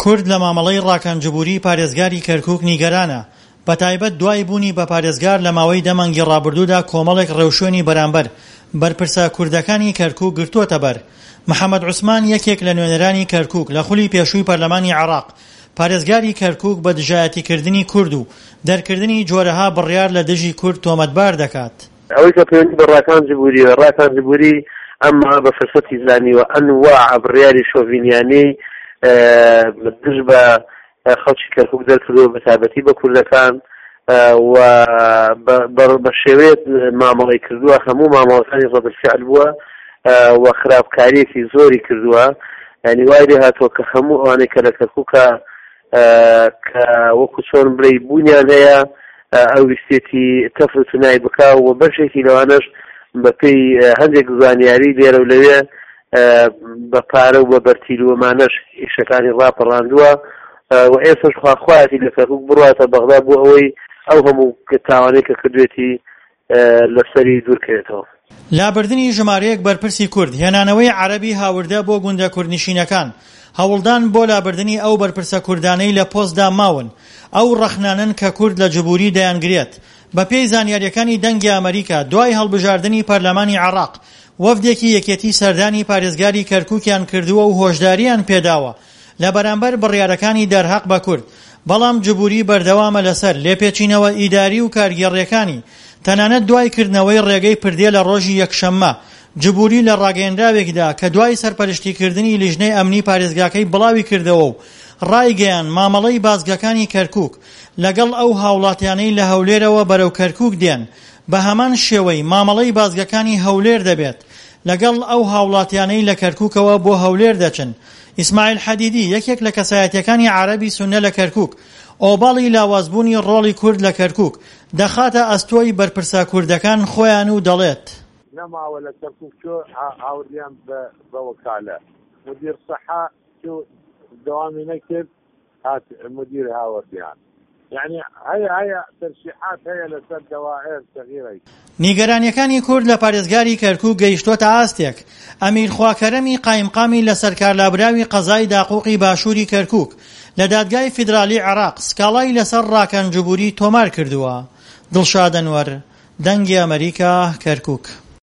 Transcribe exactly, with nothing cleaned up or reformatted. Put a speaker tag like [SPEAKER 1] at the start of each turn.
[SPEAKER 1] کورد لە مامەڵەی ڕاکان جبوری پارێزگاری کەرکوک نیگەرانە، بەتایبەت دوای بوونی بە پارێزگار لە ماوەی دە مانگی ڕابردوودا کۆمەڵێک ڕێوشوێنی بەرامبەر بەرپرسە کوردەکانی کەرکوک گرتووەتە بەر. محەمەد عوسمان یەکێک لە نوێنەرانی کەرکوک لە خولی پێشووی پەرلەمانی عێراق پارێزگاری کەرکوک بە دژایەتیکردنی کورد و دەرکردنی جۆرەها بڕیار لە دژی کورد تۆمەتبار دەکات.
[SPEAKER 2] ئەوەی کە پەیوەندی بە ڕاکان جبوریەوە، ڕاکان جبوری ئەمە بە فرسەتی زانیوە ئەنواع بڕیاری شۆڤینیانەی دژ بە خەڵکی کەرکوک دەرکردووە، بە تایبەتی بە کوردەکان و بە شێوەیەک مامەڵەی کردووە، هەموو مامەڵەکانی ڕەد الفعل بووە و خراپکاریەکی زۆری کردووە. یعنی وای لێ هاتووە کە هەموو ئەوانەی کە لە کەرکوکە کە وەکو چۆن بڵێی بوونیان هەیە ئەو ویستێتی تەفر و تونای بکا و بەشێکی لەوانەش بەپێی هەندێک زانیاری لێرە و لەوێ بە پارە و بە بەرتیل و ئەمانەش ئیشەکانی ڕاپەڕاندووە و ئێستاش خواخوایەتی لە کەرکوک بڕاتە بەغدا بۆ ئەوەی ئەو هەموو تاوانەی کە کردوێتی لەسەری دوورکەوێتەوە.
[SPEAKER 1] لابردنی ژمارەیەک بەرپرسی کورد، هێنانەوەی عەرەبی هاوردە بۆ گوندە کوردنشینەکان، هەوڵدان بۆ لابردنی ئەو بەرپرسە کوردانەی لە پۆستدا ماون، ئەو ڕەخنانەن کە کورد لە جبوری دەیانگرێت. بەپێی زانیارییەکانی دەنگی ئەمەریکا، دوای هەڵبژاردنی پەرلەمانی عێراق، وەفدێکی یەکێتی سەردانی پارێزگاری کەرکوکیان کردووە و هۆشدارییان پێداوە لە بەرامبەر بڕیارەکانی دەرهەق بە کورد، بەڵام جبوری بەردەوامە لەسەر لێپێچینەوە ئیداری و کارگێڕییەکانی، تەنانەت دوای کردنەوەی ڕێگەی پردێ لە ڕۆژی یەکشەممە، جبوری لە ڕاگەیەنراوێکدا کە دوای سەرپەرشتیکردنی لیژنەی ئەمنی پارێزگاکەی بڵاویکردەوە و ڕایگەیاند مامەڵەی بازگەکانی کەرکوک لەگەڵ ئەو هاوڵاتیانەی لە هەولێرەوە بەرەو کەرکوک دێن بە هەمان شێوەی مامەڵەی بازگەکانی هەولێر دەبێت لەگەڵ ئەو هاوڵاتیانەی لە کەرکوکەوە بۆ هەولێر دەچن. ئیسماعیل حەدیدی، یەکێک لە کەسایەتییەکانی عەرەبی سوننە لە کەرکوک، ئۆباڵی لاوازبوونی ڕۆڵی کورد لە کەرکوک دەخاتە ئەستۆی بەرپرسە کوردەکان خۆیان و دەڵێت،
[SPEAKER 3] نەماوە لە کەرکوک چۆ هاوردیان بە وەکالە مدیر سەحا چۆ دەوامی نەکرد هات مدیر هاوردیان یعنی هەیە هەیە ترشیحات هەیە لەسەر دەوائر سەغیرەی.
[SPEAKER 1] نیگەرانییەکانی کورد لە پارێزگاری کەرکوک گەیشتۆتە ئاستێک، ئەمیر خواکەرەمی قایمقامی لەسەرکارلابراوی قەزای داقوقی باشووری کەرکوک لە دادگای فیدرالی عێراق سکاڵای لەسەر ڕاکان جبوری تۆمار کردووە. دڵشاد ئەنوەر، دەنگی ئەمەریکا، کەرکوک.